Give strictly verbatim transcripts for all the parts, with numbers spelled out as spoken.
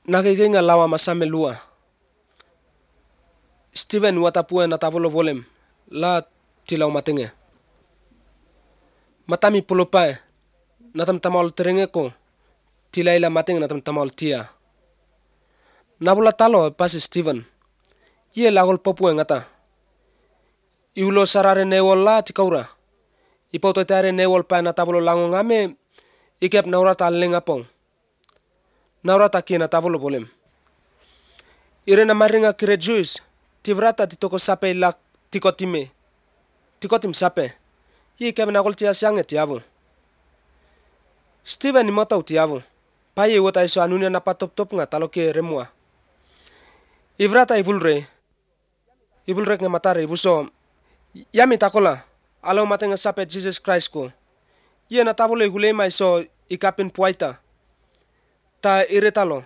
Nakikinga lawa masame lua. Steven watapue na tavolo volem la tilaw matenge. Matami pulupae natam tamal terenge ko tilaila matenge natam tamal tia. Nabula talo pas Steven. Ye lagol popue ngata. Iulo sarare newol la tikaura. Ipoto tare newol pa na tavolo lango ngame ikep naurata lenga pong. Naurata kina tavolo volem. Irena maringa kire Jews tivrata titoko sape lak tikotime. Tikotim sape. Ye kep nagol tia siange tiavo. Steven imotau tiavo. Paye wota iso anunia na patop top nga taloke remua. Ivrata ivulre. Ivulre nga matare ibuso. Yami takola. Alo matenga sape Jesus Christ ko. Ye na tavolo ihulema iso ikapin puaita. Ta iretalo.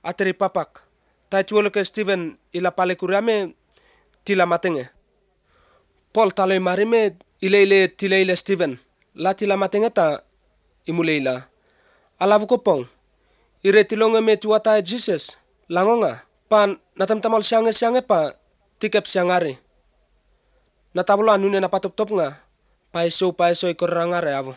Ateri papak. Ta ituolo ke Steven ila pale kuriame tila matenge. Paul talo imarime ileile tileile Steven. La tila matenge ta imuleila. Alavu kopong. Ire tilonge me tuata Jesus. Langonga. Pan natamtamal siange siange pa tikep siangare. Natavolo anunia na patop top nga. Paiso paiso ikorangare avo.